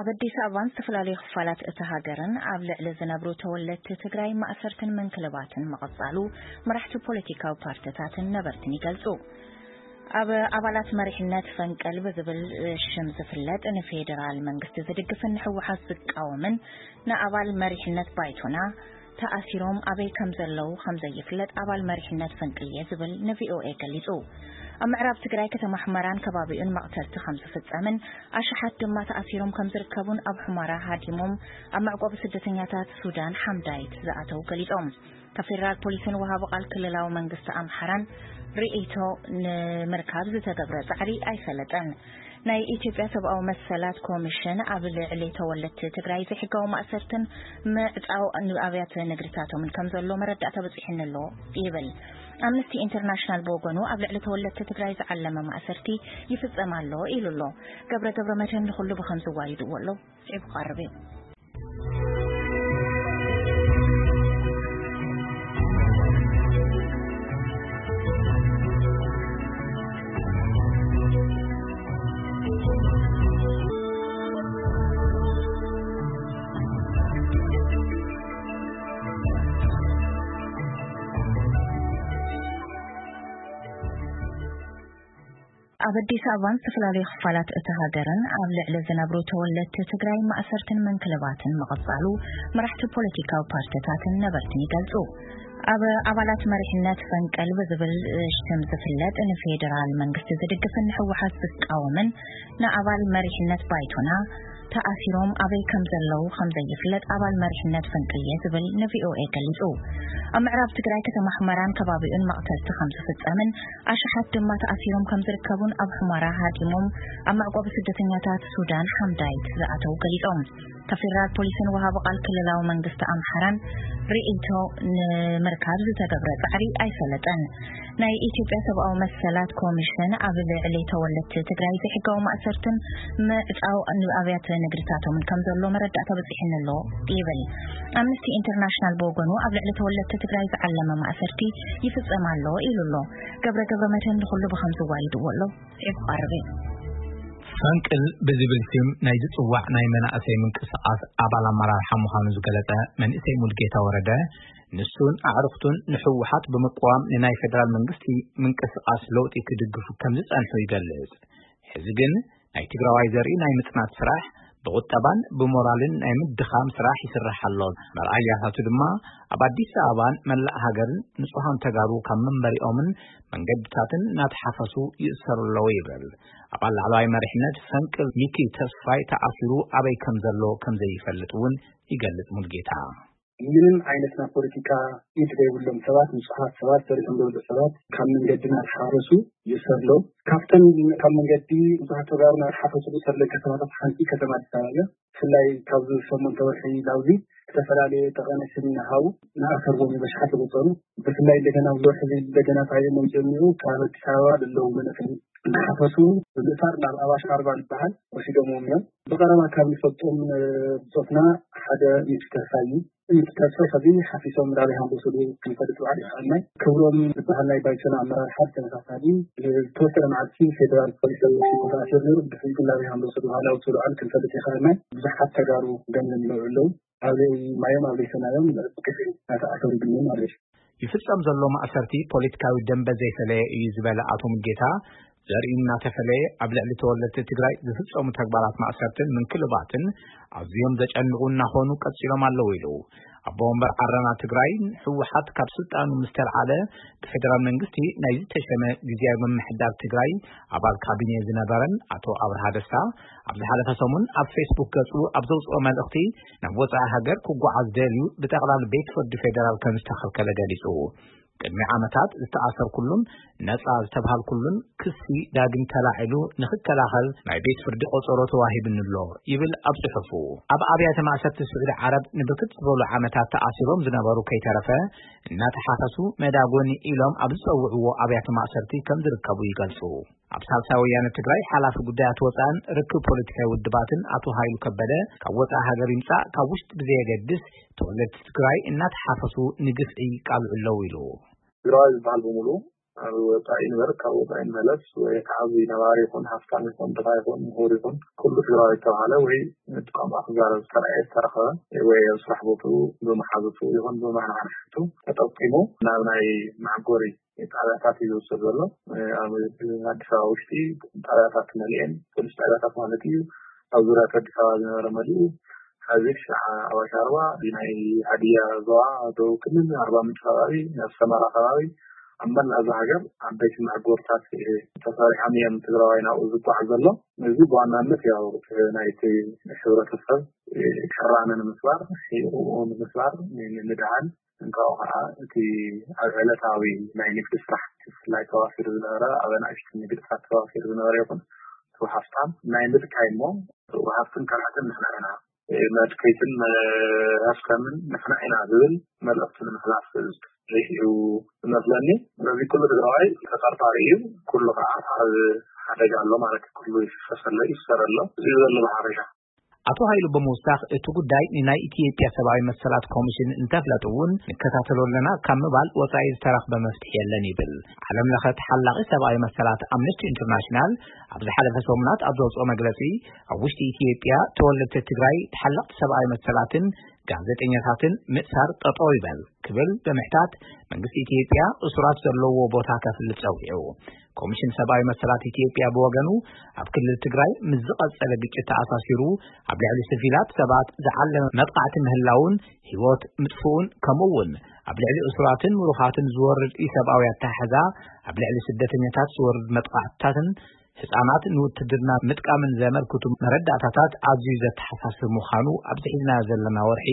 ኣብ ኣዲስ ኣበባን ዝተፈላለዩ ክፋላት እታ ሃገርን ኣብ ልዕሊ ዝነብሩ ተወለድቲ ትግራይ ማእሰርትን ምንክልባትን ምቕጻሉ መራሕቲ ፖለቲካዊ ፓርቲታትን ነበርትን ይገልጹ። ኣብ ኣባላት መሪሕነት ፈንቅል ብዝብል ሽም ዝፍለጥ ንፌዴራል መንግስቲ ዝድግፍን ንህወሓት ዝቃወምን ንኣባል መሪሕነት ባይቶና ተኣሲሮም ኣበይ ከም ዘለዉ ከም ዘይፍለጥ ኣባል መሪሕነት ፈንቅል እየ ዝብል ንቪኦኤ ገሊጹ። ኣብ ምዕራብ ትግራይ ከተማ ሑመራን ከባቢኡን መቕተልቲ ከም ዝፍጸምን ኣሽሓት ድማ ተኣሲሮም ከም ዝርከቡን ኣብ ሑመራ ሃዲሞም ኣብ መዕቆቢ ስደተኛታት ሱዳን ሓምዳይት ዝኣተዉ ገሊጾም። ካብ ፌዴራል ፖሊስን ወሃቢ ቃል ክልላዊ መንግስቲ ኣምሓራን ርእይቶ ንምርካብ ዝተገብረ ጻዕሪ ኣይሰለጠን። ናይ ኢትዮጵያ ሰብኣዊ መሰላት ኮሚሽን ኣብ ልዕሊ ተወለድቲ ትግራይ ዘይሕጋዊ ማእሰርትን ምዕጻው ኣብያተ ንግድታቶምን ከም ዘሎ መረዳእታ በጺሑኒ ኣሎ ይብል። ኣምነስቲ ኢንተርናሽናል ብወገኑ ኣብ ልዕሊ ተወለድቲ ትግራይ ዝዓለመ ማእሰርቲ ይፍጸም ኣሎ ኢሉ ኣሎ። ገብረ ገብረ መድህን ንኹሉ ብኸም ዝዋይድዎ ኣሎ። ስዒቡ ክቐርብ እዩ። ኣብ ኣዲስ ኣበባን ዝተፈላለዩ ክፋላት እታ ሃገርን ኣብ ልዕሊ ዝነብሩ ተወለድቲ ትግራይ ማእሰርትን ምንክልባትን ምቕጻሉ መራሕቲ ፖለቲካዊ ፓርቲታትን ነበርትን ይገልጹ። ኣብ ኣባላት መሪሕነት ፈንቅል ብዝብል ሽም ዝፍለጥ ንፌዴራል መንግስቲ ዝድግፍን ንህወሓት ዝቃወምን ንኣባል መሪሕነት ባይቶና ተኣሲሮም ኣበይ ከም ዘለዉ ከም ዘይፍለጥ ኣባል መሪሕነት ፈንቅል እየ ዝብል ንቪኦኤ ገሊጹ። ኣብ ምዕራብ ትግራይ ከተማ ሑመራን ከባቢኡን መቕተልቲ ከም ዝፍጸምን ኣሽሓት ድማ ተኣሲሮም ከም ዝርከቡን ኣብ ሑመራ ሃዲሞም ኣብ መዕቆቢ ስደተኛታት ሱዳን ሓምዳይት ዝኣተዉ ገሊጾም። ካብ ፌዴራል ፖሊስን ወሃቢ ቃል ክልላዊ መንግስቲ ኣምሓራን ርእይቶ ንምርካብ ዝተገብረ ጻዕሪ ኣይሰለጠን። ናይ ኢትዮጵያ ሰብኣዊ መሰላት ኮሚሽን ኣብ ልዕሊ ተወለድቲ ትግራይ ዘይሕጋዊ ማእሰርትን ምዕጻው ኣብያተ ንግድታቶምን ከም ዘሎ መረዳእታ በጺሑኒ ኣሎ ይብል። ኣምነስቲ ኢንተርናሽናል ብወገኑ ኣብ ልዕሊ ተወለድቲ ትግራይ ዝዓለመ ማእሰርቲ ይፍጸም ኣሎ ኢሉ ኣሎ። ገብረ ገብረ መድህን ንኹሉ ብኸም ዝዋይድዎ ኣሎ። ስዒቡ ክቐርብ እዩ። ፈንቅል ብዝብል ስም ናይ ዝጽዋዕ ናይ መናእሰይ ምንቅስቓስ ኣባል ኣመራርሓ ምዃኑ ዝገለጸ መንእሰይ ሙልጌታ ወረደ፣ ንሱን ኣዕሩኽቱን ንህወሓት ብምቅዋም ንናይ ፌደራል መንግስቲ ምንቅስቓስ ለውጢ ክድግፉ ከም ዝጸንሑ ይገልጽ። ሕዚ ግን ናይ ትግራዋይ ዘርኢ ናይ ምጽናት ስራሕ ብቁጠባን ብሞራልን ናይ ምድኻም ስራሕ ይስራሕ ኣሎ። መርኣያታቱ ድማ ኣብ ኣዲስ ኣበባን መላእ ሃገርን ንጹሃን ተጋሩ ካብ መንበሪኦምን መንገድታትን እናተሓፈሱ ይእሰሩ ኣለዉ ይብል። ኣባል ላዕለዋይ መሪሕነት ፈንቅል ሚኪ ተስፋይ ተኣሲሩ ኣበይ ከም ዘሎ ከም ዘይፈልጥ እውን ይገልጽ ሙልጌታ። ምንም ዓይነት ናይ ፖለቲካ ኢድ ዘይብሎም ሰባት፣ ንጹሃት ሰባት፣ ሰሪሖም ዝበልዑ ሰባት ካብ መንገድና ተሓፈሱ ይእሰሩ ኣለዉ። ካብተን ካብ መንገዲ ብዙሓት ተጋሩ እናተሓፈሱ ዝእሰሩ ዘለዉ ከተማታት ሓንቲ ከተማ ኣዲስ ኣበባ እያ። ብፍላይ ካብዚ ሰሙን ተወርሒ ናብዚ ዝተፈላለየ ጠቐነ ስም እናሃቡ እናኣሰርዎም እዮም፣ በሽሓት ዝቑጸሩ። ብፍላይ እንደገና ኣብዚ ወርሒ እዚ እንደገና ፋይል መምፅኡ ካብ ኣዲስ ኣበባ ዘለዉ መናእሰይ እናሓፈሱ ብምእሳር ናብ ኣዋሽ ኣርባ ዝበሃል ወሲዶምዎም እዮም። ብቐረባ ካብ ንፈልጦም፣ እ፣ ብጾትና ሓደ ሚኪ ተስፋይ እዩ። ሚኪ ተስፋይ ሕዚ ሓፊሶም ናበይ ከም ዝወሰዱ ክንፈልጥ ባዕሉ ይኸኣልና። ክብሮም ዝበሃል ናይ ባይቶና ኣመራርሓ ብተመሳሳሊ ዝተወሰነ መዓልቲ ፌደራል ፖሊስ ወሲዱ ተኣሲሩ ነይሩ። ድሕሪኡ ግን ናበይ ከም ዝወሰዱ፣ ዋላ ዝወሰዱ ዓዲ ክንፈልጥ ይኸኣልና። ብዙሓት ተጋሩ ገምገም ይነብዑ ኣለዉ። ኣበይ ማዮም ኣበይ ሰማዮም ብግፍዒ እናተኣሰሩ ይግነዩ ማለት እዩ። ይፍጸም ዘሎ ማእሰርቲ ፖለቲካዊ ደንበ ዘይፈለየ እዩ ዝበለ ኣቶ ሙልጌታ፣ ዘርእዩ እናተፈለየ ኣብ ልዕሊ ተወለድቲ ትግራይ ዝፍጸሙ ተግባራት ማእሰርትን ምንክልባትን ኣዝዮም ዘጨንቑ እናኾኑ ቀጺሎም ኣለዉ ኢሉ። ኣቦ ወንበር ዓረና ትግራይ ህወሓት ካብ ስልጣኑ ምስ ተልዓለ ብፌደራል መንግስቲ ናይ ዝተሸመ ግዝያዊ ምምሕዳር ትግራይ ኣባል ካቢኔ ዝነበረን ኣቶ ኣብርሃ ደስታ ኣብ ዝሓለፈ ሰሙን ኣብ ፌስቡክ ገጹ ኣብ ዘውፅኦ መልእኽቲ ናብ ወፃኢ ሃገር ክጓዓዝ ደልዩ ብጠቕላሊ ቤት ፍርዲ ፌደራል ከም ዝተኸልከለ ገሊጹ። ቅድሚ ዓመታት ዝተኣሰርኩሉን ነጻ ዝተብሃልኩሉን ክሲ ዳግም ተላዒሉ ንኽከላኸል ናይ ቤት ፍርዲ ቆጸሮ ተዋሂብኒ ኣሎ ይብል ኣብ ጽሑፉ። ኣብ ኣብያተ ማእሰርቲ ስዑዲ ዓረብ ንብርክት ዝበሉ ዓመታት ተኣሲሮም ዝነበሩ ከይተረፈ እናተሓፈሱ መዳጎኒ ኢሎም ኣብ ዝጸውዕዎ ኣብያተ ማእሰርቲ ከም ዝርከቡ ይገልጹ። ኣብ ሳልሳይ ወያነ ትግራይ ሓላፊ ጉዳያት ወፃእን ርክብ ፖለቲካዊ ውድባትን ኣቶ ሃይሉ ከበደ፣ ካብ ወፃኢ ሃገር ይምፃእ ካብ ውሽጢ ብዘየገድስ ተወለድቲ ትግራይ እናተሓፈሱ ንግፍዒ ይቃልዑ ኣለዉ ኢሉ። ትግራዋይ ዝበሃል በሙሉ ኣብ ወፃኢ ንበር ካብ ወፃኢ ንመለስ ወይ ከዓ እዚ ነባሪ ይኹን ሃፍታም ይኹን ድኻ ይኹን ምሁር ይኹን ኩሉ ትግራዊ ዝተባሃለ ወይ ቋንቋ ክዛረብ ዝተረኣየ ዝተረኸበ ወይ ኣብ ስራሕ ቦትኡ ብመሓዙቱ ይኹን ብመናሓንሕቱ ተጠቂሙ ናብ ናይ መዓጎሪ ጣብያታት እዩ ዝወሰድ ዘሎ። ኣብ ኣዲስ ኣበባ ውሽጢ ጣብያታት መሊኤን ፖሊስ ጣብያታት ማለት እዩ። ኣብ ዙርያ ኣዲስ ኣበባ ዝነበረ መሊኡ ሐዚ ክሻዕ ኣዋሽ ኣርባ ናይ ሃዲያ ዞባ ደቡብ ክልል ኣርባ ምንጭ ከባቢ ኣብ ሰመራ ከባቢ ኣብ መላእ እዛ ሃገር ዓበይቲ መዕጎርታት ተሰሪሖም እዮም ትግራዋይ ናብኡ ዝጓዓዝ ዘሎ። እዚ ብዋናነት ያው ናይቲ ሕብረተሰብ ቅራነ ንምስባር ሂቁኡ ንምስባር ንምድሃል እንካኡ ከዓ እቲ ኣብ ዕለታዊ ናይ ንግዲ ስራሕ ብፍላይ ተዋፊሩ ዝነበረ ኣብ ኣናእሽቱ ንግድታት ተዋፊሩ ዝነበረ ይኹን እቲ ሃፍታም ናይ ምልካይ እሞ ሃፍትን ካልኣትን ንሕና ኢና መድከይትን ሃፍታምን ንሕና ኢና ዝብል መልእኽቲ ንምሕላፍ ሪኢኡ ዝመስለኒ። ስለዚ ኩሉ ትግራዋይ ተጠርጣሪ እዩ። ኩሉ ከዓ ኣብ ሓደጋ ኣሎ ማለት እዩ። ኩሉ ይፍሰሰሎ ይፍሰረሎ እዚ ዘሎ ብሓፈሻ። ኣቶ ሃይሉ ብምውሳኽ እቲ ጉዳይ ንናይ ኢትዮጵያ ሰብኣዊ መሰላት ኮሚሽን እንተፍለጡ እውን ንከታተሎ ኣለና ካብ ምባል ወፃኢ ዝተረኽበ መፍትሒ የለን ይብል። ዓለም ለኸ ተሓላቒ ሰብኣዊ መሰላት ኣምነስቲ ኢንተርናሽናል ኣብ ዝሓለፈ ሰሙናት ኣብ ዘውፅኦ መግለፂ ኣብ ውሽጢ ኢትዮጵያ ተወለድቲ ትግራይ ተሓለቕቲ ሰብኣዊ መሰላትን ጋዜጠኛታትን ምእሳር ጠጠው ይበል ክብል ብምሕታት መንግስቲ ኢትዮጵያ እሱራት ዘለዎ ቦታ ከፍልጥ ፀዊዑ። ኮሚሽን ሰብኣዊ መሰላት ኢትዮጵያ ብወገኑ ኣብ ክልል ትግራይ ምስ ዝቐጸለ ግጭት ተኣሳሲሩ ኣብ ልዕሊ ስቪላት ሰባት ዝዓለመ መጥቃዕቲ ምህላውን ህይወት ምጥፍኡን ከምኡ እውን ኣብ ልዕሊ እሱራትን ምሩኻትን ዝወርድ ኢሰብኣዊ ኣተሓሕዛ ኣብ ልዕሊ ስደተኛታት ዝወርድ መጥቃዕትታትን ህፃናት ንውትድርና ምጥቃምን ዘመልክቱ መረዳእታታት ኣዝዩ ዘተሓሳስብ ምዃኑ ኣብዚ ሒዝናዮ ዘለና ወርሒ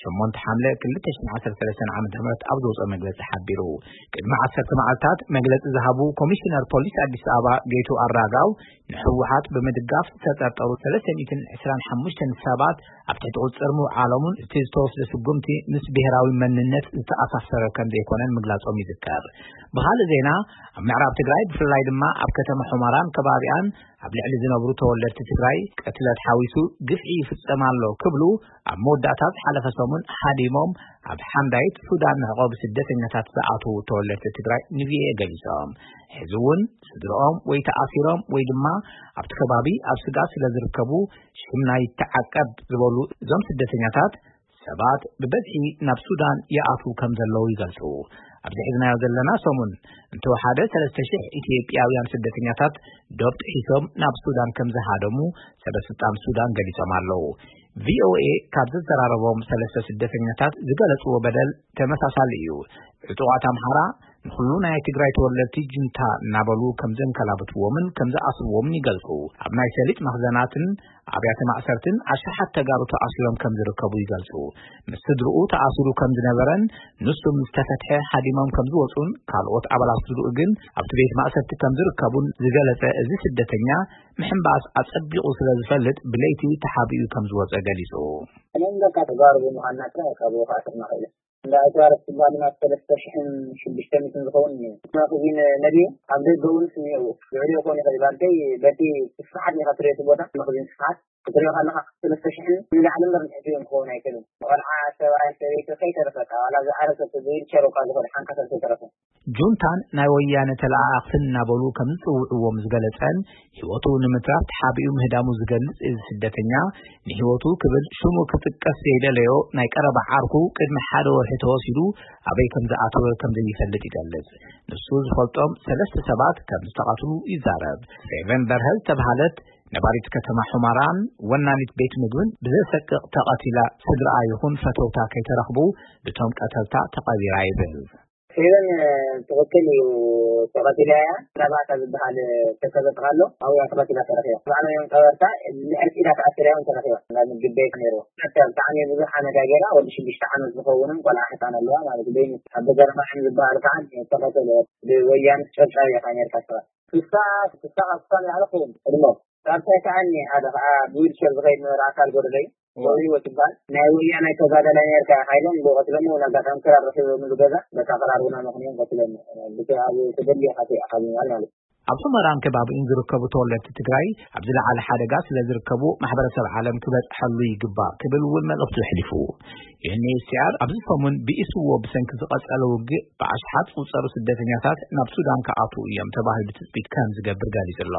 ሸሞንተ ሓምለ ክልተ ሽሕን ዓሰርተ ሰለስተን ዓመተ ምህረት ኣብ ዘውፅኦ መግለፂ ሓቢሩ። ቅድሚ ዓሰርተ መዓልታት መግለፂ ዝሃቡ ኮሚሽነር ፖሊስ ኣዲስ ኣበባ ጌቱ ኣራጋው ንህወሓት ብምድጋፍ ዝተጠርጠሩ ሰለስተ ሚእትን ዕስራን ሓሙሽተን ሰባት ኣብ ትሕቲ ቁፅፅር ምውዓሎምን እቲ ዝተወስደ ስጉምቲ ምስ ብሄራዊ መንነት ዝተኣሳሰረ ከም ዘይኮነን ምግላፆም ይዝከር። ብኻልእ ዜና ኣብ ምዕራብ ትግራይ ብፍላይ ድማ ኣብ ከተማ ሑመራን ከባቢኣን ኣብ ልዕሊ ዝነብሩ ተወለድቲ ትግራይ ቅትለት ሓዊሱ ግፍዒ ይፍፀም ኣሎ ክብሉ ኣብ መወዳእታ ዝሓለፈ ሰሙን ሃዲሞም ኣብ ሓምዳይት ሱዳን መዕቆቢ ስደተኛታት ዝኣተዉ ተወለድቲ ትግራይ ንቪኦኤ ገሊፆም። ሕዚ እውን ስድርኦም ወይ ተኣሲሮም ወይ ድማ ኣብቲ ከባቢ ኣብ ስጋት ስለ ዝርከቡ ሽምና ይተዓቀብ ዝበሉ እዞም ስደተኛታት ሰባት ብበዝሒ ናብ ሱዳን ይኣትዉ ከም ዘለዉ ይገልፁ። ኣብዚ ሒዝናዮ ዘለና ሰሙን እንተወሓደ ሰለስተ ሽሕ ኢትዮጵያውያን ስደተኛታት ዶብ ጥሒሶም ናብ ሱዳን ከም ዝሃደሙ ሰበስልጣን ሱዳን ገሊፆም ኣለዉ። ቪኦኤ ካብ ዘዘራረቦም ሰለስተ ስደተኛታት ዝገለፅዎ በደል ተመሳሳሊ እዩ። ዕጡቓት ኣምሓራ ንኹሉ ናይ ትግራይ ተወለድቲ ጁንታ እናበሉ ከም ዘንከላብትዎምን ከም ዝኣስርዎምን ይገልፁ። ኣብ ናይ ሰሊጥ መኽዘናትን ኣብያተ ማእሰርትን ኣሽሓት ተጋሩ ተኣሲሮም ከም ዝርከቡ ይገልፁ። ምስ ስድርኡ ተኣሲሩ ከም ዝነበረን ንሱ ምስ ተፈትሐ ሃዲሞም ከም ዝወፁን ካልኦት ኣባላት ስድርኡ ግን ኣብቲ ቤት ማእሰርቲ ከም ዝርከቡን ዝገለፀ እዚ ስደተኛ ምሕንባስ ኣፀቢቑ ስለ ዝፈልጥ ብለይቲ ተሓቢኡ ከም ዝወፀ ገሊፁ። እኔም በቃ ተጋሩ ብምዃንና ጥራይ ካብኡ ከኣስርና ኽኢለ። እንዳ ኣጅዋር ትባል ናብ ሰለስተ ሽሕን ሽዱሽተ ሚእትን ዝኸውን እዩ። መኽዚን ነድዩ ኣብ ደገ እውን ስኒኡ ልዕሊኡ ክኾን ይኽእል እዩ። ባልተይ በቲ ስፍሓት ኢኻ ትሪኦ እቲ ቦታ መኽዚን ስፍሓት ክትሪኦ ከለኻ ሰለስተ ሽሕን ንላዕሊ እምበር ንትሕቲ እውን ክኸውን ኣይክእልን። ቆልዓ ሰብኣይ ሰበይቲ ከይተረፈ እታ ዋላ ዝዓረሰ ብዊልቸር እኳ ዝኾነ ሓንካሳ ዝተረፈ። ጁንታን ናይ ወያነ ተለኣኣኽትን እናበሉ ከም ዝፅውዕዎም ዝገለፀን ህይወቱ ንምትራፍ ተሓቢኡ ምህዳሙ ዝገልፅ እዚ ስደተኛ ንህይወቱ ክብል ሽሙ ክጥቀስ ዘይደለዮ ናይ ቀረባ ዓርኩ ቅድሚ ሓደ ወርሒ ተወሲዱ ኣበይ ከም ዝኣተወ ከም ዘይፈልጥ ይገልፅ። ንሱ ዝፈልጦም ሰለስተ ሰባት ከም ዝተቐትሉ ይዛረብ። ፌቨን በርሀ ዝተብሃለት ነባሪት ከተማ ሑመራን ወናኒት ቤት ምግብን ብዘሰቅቕ ተቐቲላ ስድራኣ ይኹን ፈተውታ ከይተረኽቡ ብቶም ቀተልታ ተቐቢራ ይብል። ፌቨን ትኽክል እዩ ተቐቲላ እያ። ናባታ ዝበሃል ተሰበጥካ ኣሎ ኣብያ ተቐቲላ ተረኺባ። ባዕሎም እዮም ቀበርታ ልዕልቲ ኢላ ተኣሲራ እዮም ተረኺባ። ናብ ምግቢ ቤት ነይርዎ። ብጣዕሚ ብዙሕ ኣነጋገራ ወዲ ሽዱሽተ ዓመት ዝኸውንን ቆልዓ ሕፃን ኣለዋ ማለት በይኑ ኣብ በገርማዕን ዝበሃል ከዓ ተቐተለ ብወያነ ጨብጫብ ኢኻ ነርካ ስኻ ስሳ ስሳ ካብ ስሳ ንላዕሊ ክኸውን ዕድሞ ካብ ሳይከኣኒ ሓደ ከዓ ብዊልቸር ዝኸይድ ነበረ ኣካል ጎደለይ ገብሪዎ ትበሃል ናይ ወያናይ ተጋዳላይ ነርካ ሓይሎም ብቐትሎም እውን ኣጋጣሚ ክራር ረኪቦምሉ ገዛ በታ ክራር እውን ኣመኽንዮም ቀትሎም ብቲ ኣብ ተደልዮ ካፌ ኣኻቢምዋል ማለት እዩ። ኣብ ሑመራን ከባቢኡን ዝርከቡ ተወለድቲ ትግራይ ኣብ ዝለዓለ ሓደጋ ስለ ዝርከቡ፣ ማሕበረሰብ ዓለም ክበፅሐሉ ይግባእ ክብል እውን መልእኽቱ ኣሕሊፉ። ዩ ኤን ኤች ሲ ኣር ኣብዚ ሰሙን ብኢስዎ ብሰንኪ ዝቐጸለ ውግእ ብኣሽሓት ዝቑጸሩ ስደተኛታት ናብ ሱዳን ክኣትዉ እዮም ተባሂሉ ትጽቢት ከም ዝገብር ገሊጹ ኣሎ።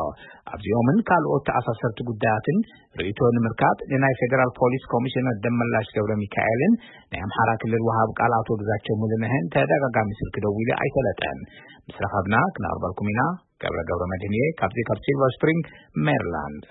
ኣብዚኦምን ካልኦት ተኣሳሰርቲ ጉዳያትን ርእይቶ ንምርካብ ንናይ ፌደራል ፖሊስ ኮሚሽነር ደመላሽ ገብረ ሚካኤልን ናይ ኣምሓራ ክልል ወሃብ ቃል ኣቶ ግዛቸው ሙሉነህን ተደጋጋሚ ስልኪ ደዊሉ ኣይሰለጠን። ምስ ረኸብና ክነቕርበልኩም ኢና። ገብረ ገብረ መድህን እየ ካብዚ ካብ ሲልቨር ስፕሪንግ ሜሪላንድ።